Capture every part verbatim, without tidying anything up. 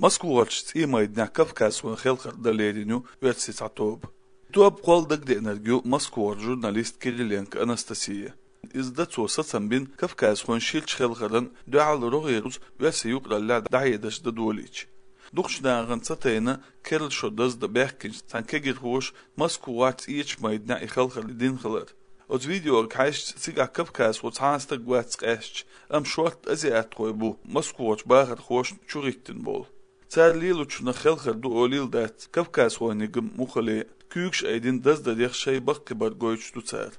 Москварчу цӀиймайданехь кавказхойн хелхар дан лерина ю оьрсийн цхьа тоба. Тоба кхолла дагадеанарг ю Москвара журналист Кириленко Анастасия. Иза дан цо сацам бина кавказхойн ширачу хелхарна дуьхьал рогӀера уьш оьрсийн юкъараллехь дӀахьедарш дан долийча. Дукхачу нахана ца тайна керла шо даздан баьхкинчу цхьана кегирхоша Москварчу цӀиймайданехь и хелхар дина хилар. Оцу видеога хьаьжча, цигахь кавказхо цхьа а стаг вац къаьсташ, амма шортта азиатхой бу Москварчу бахархошна чухӀиттина болу. Цара лелочунах хелхар ду олийла дац, кавказхойниг-м муххале, куьйгаш айдина даздарех шайн баккхийбар гойтуш ду цара.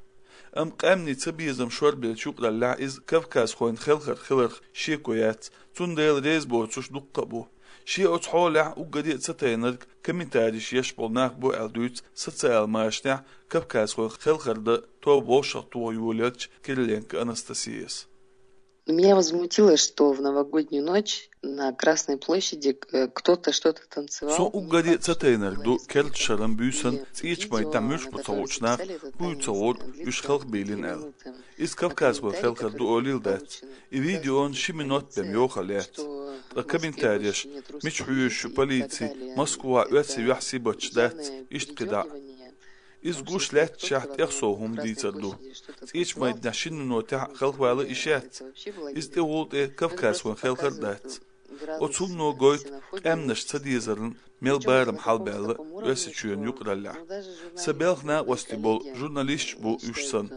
Амма къаьмнийн цабезам шорбеллачу юкъараллехь иза кавказхойн хелхар хиларх шеко яц, цундела реза боцурш дуккха а бу. Шен оцу хьолехь уггаре а ца тайнарг комментареш еш болу нах бу аьлла дуьйцу социал машанехь кавказхойн хелхар дан тоба вовшахтоха йолаеллачу Кириленко Анастасияс. Меня возмутило, что в новогоднюю ночь на Красной площади, э, кто-то что-то танцевал. Со уггаре а ца тайнарг ду, керла шаран буьйсанна цӀиймайданехь муьлш бу ца хуучу нах, хӀуй ца гӀур уьш хелхабийлина аьлла. Иза кавказхойн хелхар ду олийла дац. И видеона ши минот бен йохалла яц. Ткъа комментареш: «Мича хьоьжуш ю полици, Москвахь оьрсийн юьхь сибаташ дац», иштта кхидӀа а. Иза гуш лаьтташехь тӀех сов хӀума дийцар ду. ЦӀиймайданехь шина минотехь хелхавала йиш яц. Иза тӀехула тӀе кавказхойн хелхар а дац. Оцу хӀумано гойту къаьмнаш ца дезарна мел барам хьалабаьлла Оьрсийчоьнан юкъараллехь. Сан белхан накъостий болу журналисташ бу уьш санна.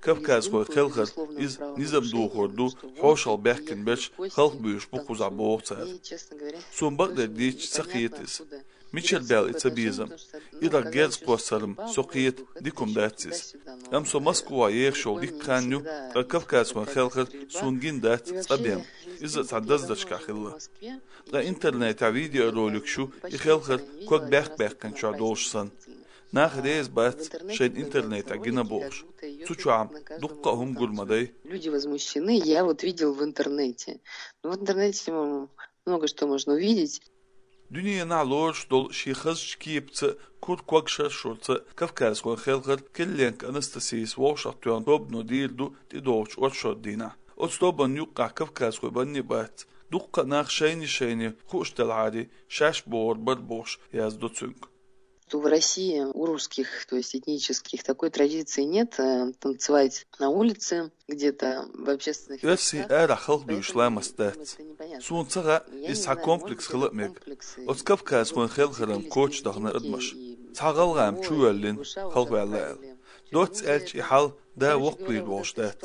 Кавказхойн хелхар, иза низам дохор ду, хьошалгӀа баьхкина берш хелхабуьйлуш бу кхузахь, боху цара. Суна бакъдерг дийцича, ца кхета иза. Мичара баьлла и цабезам? Ирах герз кхоссар-м, со кхета, дика хӀума дац иза. Амма со Москвахь ехаш йолу дикка хан ю, ткъа кавказхойн хелхар суна гина дац цкъа бен, иза а цхьана даздашкахь хилла. Ткъа интернетехь видеороликаш ю, и хелхар ког баьхка-баьккхинчохь долуш санна. Нах реза бац, шайна интернетехь гина бохуш. Цу чохь-м дуккха а хӀума гур ма дай. Люди возмущены, я вот видел в интернете. Ну, в интернете, м, много что можно увидеть. Дуьненахь лоруш долу шен хазачу кепаца, кура ког шаршурца кавказхойн хелхар Кириленко Анастасияс вовшахтоьхна тобано дийр ду тӀедогӀучу оршот дийнахь. Оцу тобанна юккъехь кавказхой банне а бац. Дуккха а нах шайна-шайна хууш делахьара, шаьш богӀур бара бохуш яздо цуьнга. Что в России у русских, то есть этнических, такой традиции нет, э, танцевать на улице, где-то в общественных местах. Оьрсийн арахь хелхабуьйлуш ламаст дац. Суна ца хаьа, иза цхьа комплекс хила а мега. Оцу кавказхойн хелхаран коча дахана адамаш. Цхьа гӀалгӀа-м чу воьллина, хелхаваьлла аьлла. Доцца аьлча, и хьал да воккхавийр волуш дац.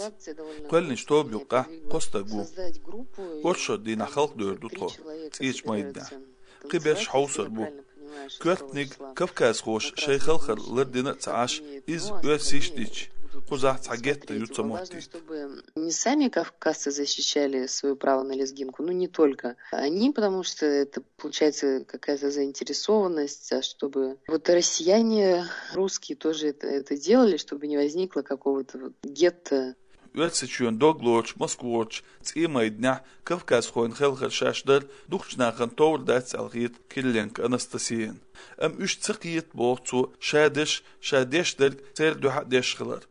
Кхоьллинчу тоба юккъехь кхо стаг ву. Оршот дийнахь хелхадевр ду тхо, цӀиймайданехь. Кхиберш хьовсур бу. Коьртаниг, кавказхоша шайн хелхар лардина а ца Ӏаш, иза оьрсийша дича, кхузахь цхьа гетто ю ца моттийта. Не сами кавказцы защищали своё право на лезгинку, ну, не только они, потому что это получается какая-то заинтересованность, а чтобы вот россияне, русские тоже это, это делали, чтобы не возникло какого-то вот гетто. Оьрсийчоьнан дог лоручу Москварчу цӀиймайданехь кавказхойн хелхар шаьш дар дукхачу нахана товр дац аьлла хета Кириленко Анастасияна. Амма уьш ца кхета, боху цо, ша дерш, ша деш дерг церан дуьхьа а деш хилар.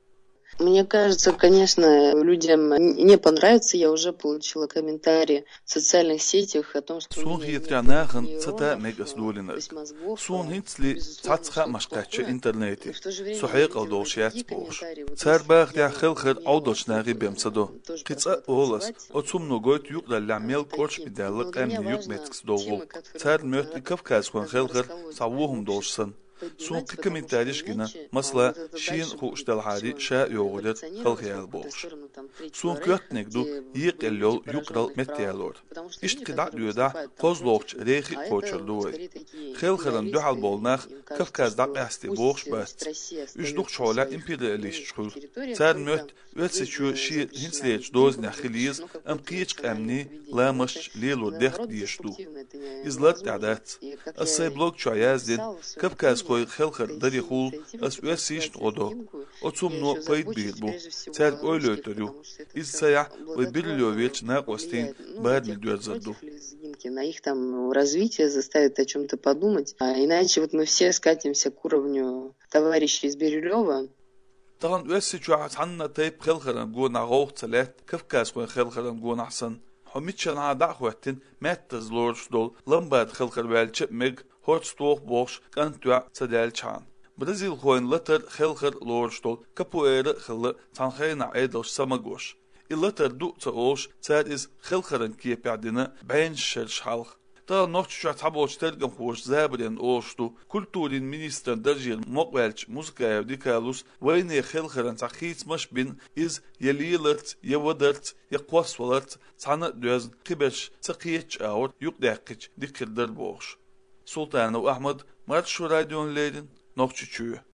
Мне кажется, конечно, людям не понравится. Я уже получила комментарии в социальных сетях о том, что... Суна хетарехь, нахана ца та а мега ас долийнарг. Суна хӀинцале цхьацца хаамаш кхаьчна интернете, со хьекъал долуш яц бохуш. Цара бахарехь, хелхар Ӏовдалчу нахе бен ца до. Кхин цкъа а олу ас, оцу хӀумано гойту юкъараллехь мел кӀоршаме даьлла къаьмнийн юкъаметтигаш долу гӀуллакх. Царна моьтту и кавказхойн хелхар цхьа вон хӀума долуш санна. Суна кхин комментареш гина, масала, шена а хууш делахьара, ша а йогӀур яра хелхаяла бохуш. Суна коьртаниг ду екъаелла йолу юкъаралла меттаялор. Иштта кхидӀа а доьдахь, кхозлагӀчу рейхе а кхочур ду вай. Хелхарна дуьхьал болу нах Кавказ дӀакъаьстий бохуш бац. Уьш дукхачу хьолехь империалисташ хуьлу. Царна моьтту Оьрсийчоь шен хӀинцалерчу дозанехь хила еза, амма кхечу къаьмнийн ламасташ лелор дехка дезаш ду. Иза лартӀехь дац. Ас сайн блог чохь яздина, кавказхойн хелхар дарехула ас оьрсийшна гӀо до. Оцу хӀумано пайда бийр бу. Цаьрга ойла йойтур ю. Иза ца яхь, вай бирли йовеллачу накъостийн барамехь доьрзур ду. На их там развитие заставит о чём-то подумать. А иначе вот мы все скатимся к уровню товарищей из Бирюлёва. Тахана Оьрсийчохь цхьанна а тайпа хелхаран гонахь гӀовгӀа ца лаьтта, кавказхойн хелхаран гонахь санна. Ӏо миччанхьа дӀа а хӀоьттина, маьттаза лоруш долу ламбада хелхар ваьлча а мега, хӀорц тоху бохуш кӀант-йоӀ ца даьлчхьана. Бразилхойн латар, хелхар лоруш долу капуэра а хилла цхьана хенахь Ӏедалша са магош. И латар ду а ца олуш, цара иза хелхаран кепехь дина бӀеннаш шераш хьалха. Тахана Нохчийчохь цхьаболчу тергамхоша забаренна олуш ду, культурин министран даржера мукъаваьллачу Музыкаев Дикалус вайне хелхаран цхьа хийцамаш а бина, иза я леларца, я вадарца, я кхоссаваларца цхьаьна а доьзна, кхиберш ца кхетачу агӀор юкъадаьккхича дика хир дара бохуш. Султанов Ахьмад, Маршо радиона леррина, Нохчийчоь.